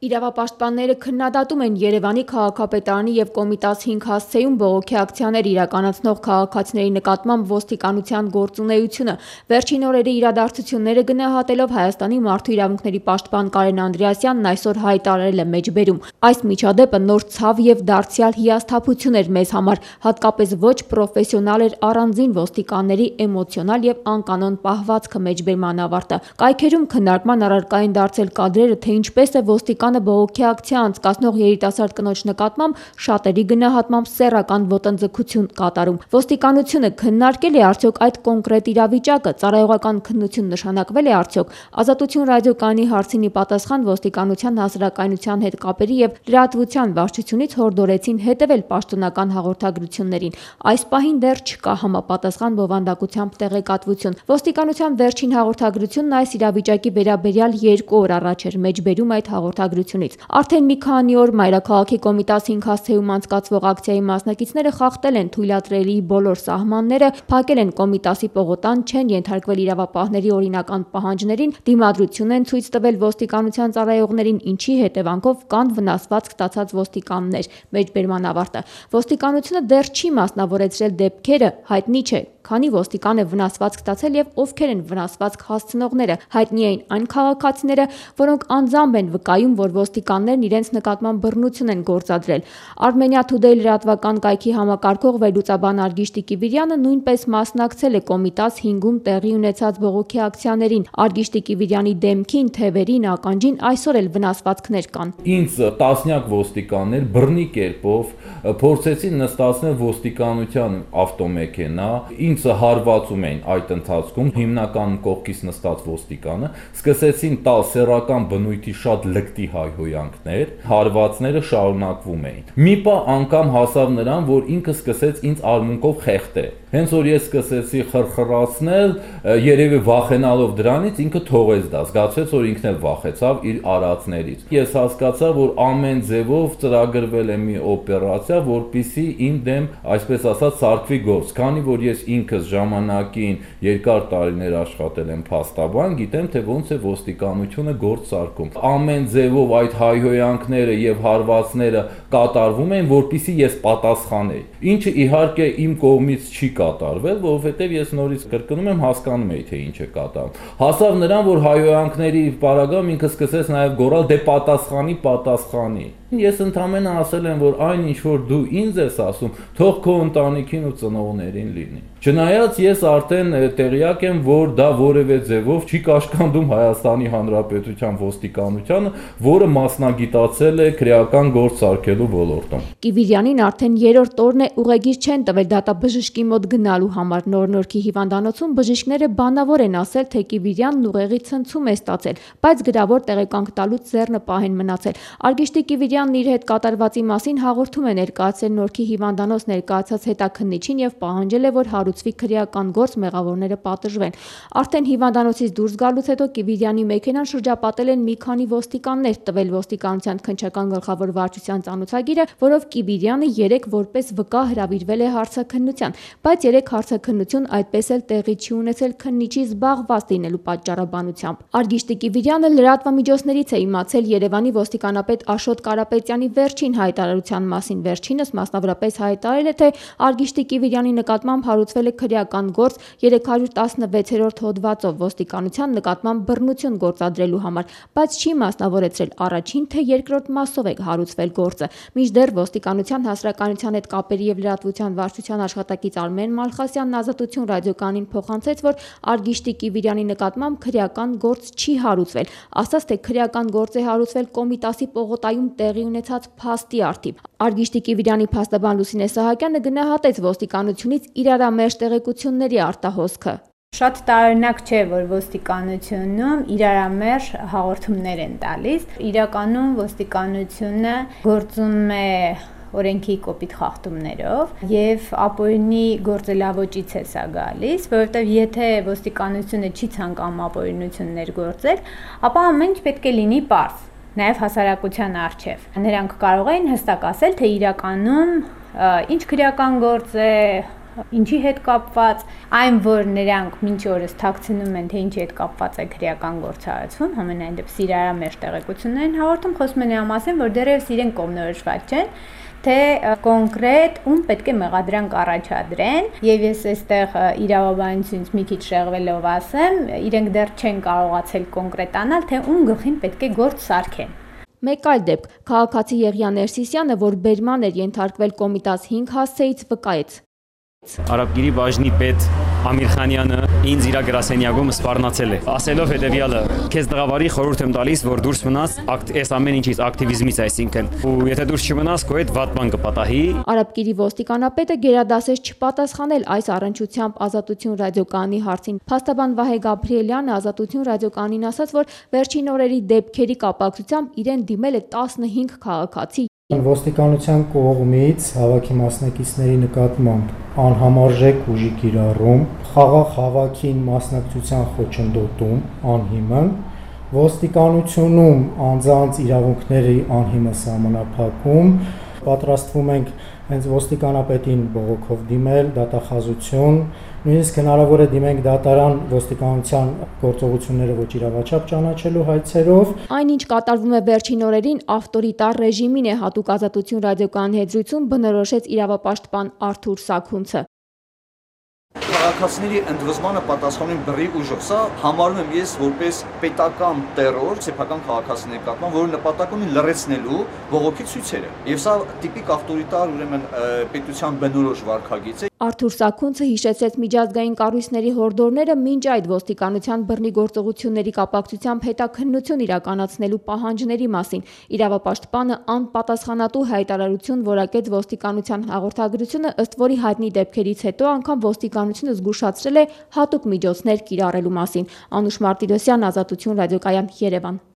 Իրավապաշտպանները քննադատում են Երևանի քաղաքապետարանի և Կոմիտաս 5 հասցեում բողոքի ակցիաներ իրականացնող քաղաքացիների նկատմամբ ոստիկանության գործունեությունը։ Վերջին օրերի իրադարձությունները գնահատելով Հայաստանի մարդու իրավունքների պաշտպան Կարեն Անդրեասյանն այսօր հայտարարել է մեջբերում. այս միջադեպը նոր ցավ և դարձյալ հիասթափություն էր մեզ համար, հատկապես ոչ պրոֆեսիոնալ էր առանձին ոստիկանների էմոցիոնալ և անկանոն պահվածքը մեջբերման ավարտը։ Կայքերում քննարկման առարկա են դարձել կադրերը, թե ինչպես է ոստիկանը բողոքի ակցիա անցկացնող երիտասարդ կնոջ նկատմամբ շատերի գնահատմամբ սեռական ոտնձգություն կատարում։ Ոստիկանությունը քննարկել է արդյոք այդ կոնկրետ իրավիճակը, ծառայողական քննություն նշանակվել է արդյոք։ Ազատություն ռադիոկայանի հարցին ի պատասխան ոստիկանության հասարակայնության հետ կապերի և լրատվության վարչությունից հորդորեցին հետևել պաշտոնական հաղորդագրություններին։ Այս պահին դեռ չկա համապատասխան բովանդակությամբ տեղեկատվություն։ Ոստիկանության վերջին հաղորդագրությունն այս իրավիճակի վերաբերյալ 2 օր առաջ էր մեջբերում այդ հաղորդագրությունից։ Արդեն մի քանի օր Մայրաքաղաքի Կոմիտաս 5 հասցեում անցկացվող ակցիայի մասնակիցները խախտել են թույլատրելի բոլոր սահմանները, փակել են Կոմիտասի պողոտան, չեն ենթարկվել իրավապահների օրինական պահանջներին, դիմադրություն են ցույց տվել ոստիկանության ծառայողներին, ինչի հետևանքով կան վնասվածք ստացած ոստիկաններ։ Մեջբերման ավարտը։ Ոստիկանությունը դեռ չի մասնավորեցրել դեպքերը, հայտնի չէ քանի ոստիկան է վնասվածք ստացել և ովքեր են վնասվածք հասցնողները։ Հայտնի էին այն քաղաքացիները, որոնք անձամբ են վկայում, որ ոստիկաններն իրենց նկատմամբ բռնություն են գործադրել։ Armenia Today լրատվական կայքի համակարգող վերլուծաբան Արգիշտի Կիվիրյանը նույնպես մասնակցել է Կոմիտաս 5-ում տեղի ունեցած բողոքի ակցիաներին։ Արգիշտի Կիվիրյանի դեմքին, թևերին, ականջին այսօր էլ վնասվածքներ կան։ Ինձ տասնյակ ոստիկաններ բռնի կերպով փորձեցին նստացնել ոստիկանության ավտոմեքենա, ինձ հարվածում էին այդ ընթացքում, հիմնական կողքից նստած ոստիկանը, սկսեցին տալ սեռական բնույթի շատ լկտի հայհոյանքներ, հարվածները շարունակվում էին։ Մի պահ անգամ հասավ նրան, որ ինքը սկսեց ինձ արմունկով խեղդել։ Հենց որ ես սկսեցի խրխրացնել, երևի վախենալով դրանից, ինքը թողեց դա, զգացվեց, որ ինքն էլ վախեցավ իր արածներից։ Ես հասկացա, որ ամեն ձևով ծրագրվել է մի օպերացիա, որպեսզի իմ դեմ, այսպես ասած, սարքվի գործ, քանի որ ես ինքս ժամանակին երկար տարիներ աշխատել եմ փաստաբան, գիտեմ, թե ոնց է ոստիկանությունը գործ սարքում։ Ամեն ձևով այդ հայհոյանքները եւ հարվածները կատարվում են, որպեսզի ես պատասխանեի։ Ինչը իհարկե իմ կողմից չի կատարվել, որովհետև ես նորից կրկնում եմ, հասկանում էի, թե ինչ է կատարվում։ Հասավ նրան, որ հայհոյանքների պարագայում ինքը սկսեց նաև գոռալ, դե պատասխանի։ Ես ընդամենը ասել եմ, որ այն ինչ որ դու ինձ ես ասում, թող քո ընտանիքին ու ծնողներին լինի։ Չնայած ես արդեն տեղյակ եմ, որ դա որևէ ձևով չի կաշկանդում Հայաստանի Հանրապետության ոստիկանությանը, որը մասնագիտացել է քրեական գործ սարքելու ոլորտում։ Կիվիրյանին արդեն 3-րդ օրն է ուղեգիր չեն տվել դատաբժշկի մոտ գնալու համար։ Նոր-Նորքի հիվանդանոցում բժիշկները բանավոր են ասել, թե Կիվիրյանն ուղեղի ցնցում է ստացել, բայց գրավոր տեղեկանք տալուց ձեռնը պահեն մնացել։ Արգիշտի Կիվիրյանն իր հետ կատարվածի մասին հաղորդում է ներկայացել Նորքի հիվանդանոց ներկայացած հետաքննիչին և պահանջել է, որ հարուցվի քրեական գործ, մեղավորները պատժվեն։ Արդեն հիվանդանոցից դուրս գալուց հետո Կիվիրյանի մեքենան շրջապատել են մի քանի ոստիկաններ, տվել ոստիկանության քննչական գլխավոր վարչության ծանոթագիրը, որով Կիվիրյանը 3 որպես վկա հրավիրվել է հարցաքննության, բայց 3 հարցաքննություն այդպես էլ տեղի չի ունեցել քննիչի զբաղված լինելու պատճառաբանությամբ։ Արգիշտի Կիվիրյանը լրատվամիջոցներից է իմացել Երևանի ոստիկանապետ Աշոտ Կարապետյանի վերջին հայտարարության մասին։ Վերջինս մասնավորապես հայտարարել է, թե Արգիշտի Կիվիրյանի նկատմամբ հարուցվել է քրեական գործ 316-րդ հոդվածով ոստիկանության նկատմամբ բռնություն գործադրելու համար, բայց չի մասնավորեցրել առաջին թե երկրորդ մասով է հարուցվել գործը։ Մինչդեռ ոստիկանության հասարակայնության հետ կապերի և լրատվության վարչության աշխատակից Արմեն Մալխասյանն Ազատություն ռադիոկայանին փոխանցեց, որ Արգիշտի Կիվիրյանի նկատմամբ քրեական գործ չի հարուցվել, ասաց, թե քրեական գործ է հարուցվել Կոմիտասի պողոտայում տեղի ունեցած փաստի առթիվ։ Արգիշտի Կիվիրյանի փաստաբան Լուսինե Սահակյանը գնահատեց ոստիկանությունից իրարամերժ տեղեկությունների արտահոսքը։ Շատ տարօրինակ չէ, որ ոստիկանությունում իրարամերժ հաղորդումներ են տալիս։ Իրականում ոստիկանությունը գործում է օրենքի կոպիտ խախտումներով եւ ապօրինի գործելավոճից է սա գալիս, որովհետեւ եթե ոստիկանությունը չի ցանկանում ապօրինություններ գործել, ապա ամեն ինչ պետք է լինի պարզ, նաեւ հասարակության առջեւ։ Նրանք կարող են հստակ ասել, թե իրականում ինչ քրեական գործ է ինչի հետ կապված, այն որ նրանք մինչ օրս թաքցնում են, թե ինչի հետ կապված է քրեական գործառույթում, համենայն դեպս իրարամերժ տեղեկություններ են հաղորդում, խոսում են նրա մասին, որ դեռևս իրենք կողմնորոշված չեն, թե կոնկրետ ում պետք է մեղադրանք առաջադրեն, եւ ես այստեղ իրավաբանությունից մի քիչ շեղվելով ասեմ, իրենք դեռ չեն կարողացել կոնկրետանալ, թե ում գլխին պետք է գործ սարքեն։ Մեկ այլ դեպք, քաղաքացի Եղիան Ներսիսյանը, որ բերման էր ենթարկվել Կոմիտաս 5 հասցեից, վկայեց. Արաբգիրի բաժնի պետ Ամիրխանյանը ինձ իր գրասենյակում սպառնացել է, ասելով հետևյալը. «Քեզ տղավարի խորհուրդ եմ տալիս, որ դուրս մնաս այս ամեն ինչից, ակտիվիզմից, այսինքն, ու եթե դուրս չմնաս, քո հետ վատ բան կպատահի»։ Արաբգիրի ոստիկանապետը գերադասեց չպատասխանել այս առնչությամբ Ազատություն ռադիոկայանի հարցին։ Փաստաբան Վահե Գաբրիելյանը Ազատություն ռադիոկայանին ասաց, որ վերջին օրերի դեպքերի կապակցությամբ իրեն դիմել է 15 քաղաքացի։ Ոստիկանության կողմից հավաքի մասնակիցների նկատմամբ անհամարժեք ուժի կիրառում, խաղաղ հավաքին մասնակցության խոչընդոտում, անհիմն, ոստիկանությունում անձանց իրավունքների անհիմն սահմանափակում, պատրաստվում ենք հենց ոստիկանապետին բողոքով դիմել, դատախազություն, նույնիսկ հնարավոր է դիմենք դատարան ոստիկանության գործողությունները ոչ իրավաչափ ճանաչելու հայցերով։ Այնինչ կատարվում է վերջին օրերին ավտորիտար ռեժիմին է հատուկ Ազատություն ռադիոկայանի հետ զրույցում բնորոշեց իրավապաշտպան Արթուր Սաքունցը։ Քաղաքացիների ընդվզմանը պատասխանում բռի ուժով։ Սա համարում եմ ես որպես պետական տերոր սեփական քաղաքացիների նկատմամբ, որը նպատակ ունի լրացնելու բողոքի ցույցերը։ Եվ սա տիպիկ ավտորիտար ուրեմն պետության բնորոշ վարքագիծ է։ Արթուր Սաքունցը հիշեցրեց միջազգային կառույցների հորդորները մինչ այդ ոստիկանության բռնի գործողությունների կապակցությամբ հետաքննություն իրականացնելու պահանջների մասին։ Իրավապաշտպանը անպատասխանատու հայտարարություն որակեց ոստիկանության հաղորդագրությունը, ըստ որի հայտնի դեպքերից հետո անգամ ոստիկանությունը զգուշացրել է հատուկ միջոցներ կիրառելու մասին։ Անուշ Մարտիրոսյան, Ազատություն ռադիոկայան, Երևան։